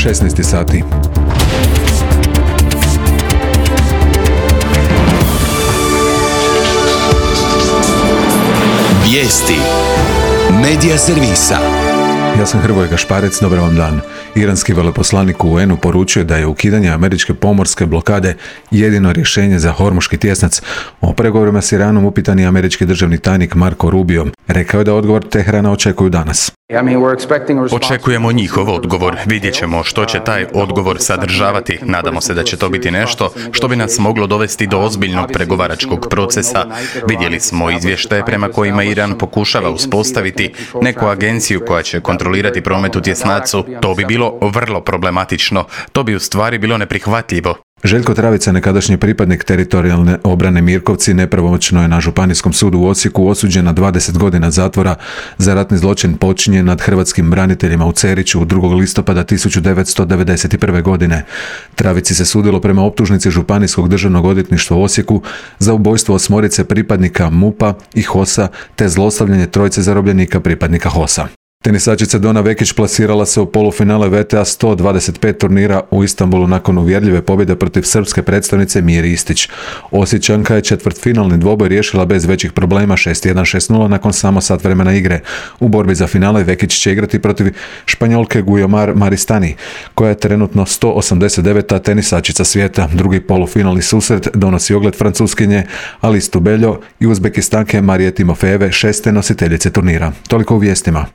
16 sati. Vijesti Medija servisa. Ja sam Hrvoje Gašparec, dobar vam dan. Iranski veleposlanik u UN-u poručio da je ukidanje američke pomorske blokade jedino rješenje za Hormuški tjesnac. O pregovorima s Iranom upitan je američki državni tajnik Marco Rubio. Rekao je da odgovor Teherana očekuju danas. Očekujemo njihov odgovor. Vidjet ćemo što će taj odgovor sadržavati. Nadamo se da će to biti nešto što bi nas moglo dovesti do ozbiljnog pregovaračkog procesa. Vidjeli smo izvještaje prema kojima Iran pokušava uspostaviti neku agenciju koja će kontrolirati promet u tjesnacu. To bi bilo vrlo problematično. To bi u stvari bilo neprihvatljivo. Željko Travica, nekadašnji pripadnik teritorijalne obrane Mirkovci, nepravomoćno je na Županijskom sudu u Osijeku osuđen na 20 godina zatvora za ratni zločin počinjen nad hrvatskim braniteljima u Ceriću 2. listopada 1991. godine. Travici se sudilo prema optužnici Županijskog državnog odvjetništva u Osijeku za ubojstvo 8 pripadnika MUP-a i HOS-a te zlostavljanje 3 zarobljenika pripadnika HOS-a. Tenisačica Dona Vekić plasirala se u polufinale WTA 125 turnira u Istanbulu nakon uvjerljive pobjede protiv srpske predstavnice Miri Istić. Osječanka je četvrtfinalni dvoboj riješila bez većih problema 6-1, 6-0 nakon samo sat vremena igre. U borbi za finale Vekić će igrati protiv Španjolke Guiomar Maristani, koja je trenutno 189. tenisačica svijeta. Drugi polufinalni susret donosi ogled Francuskinje Alice Tubeljo i Uzbekistanke Marije Timofejeve, 6. nositeljice turnira. Toliko u vijestima.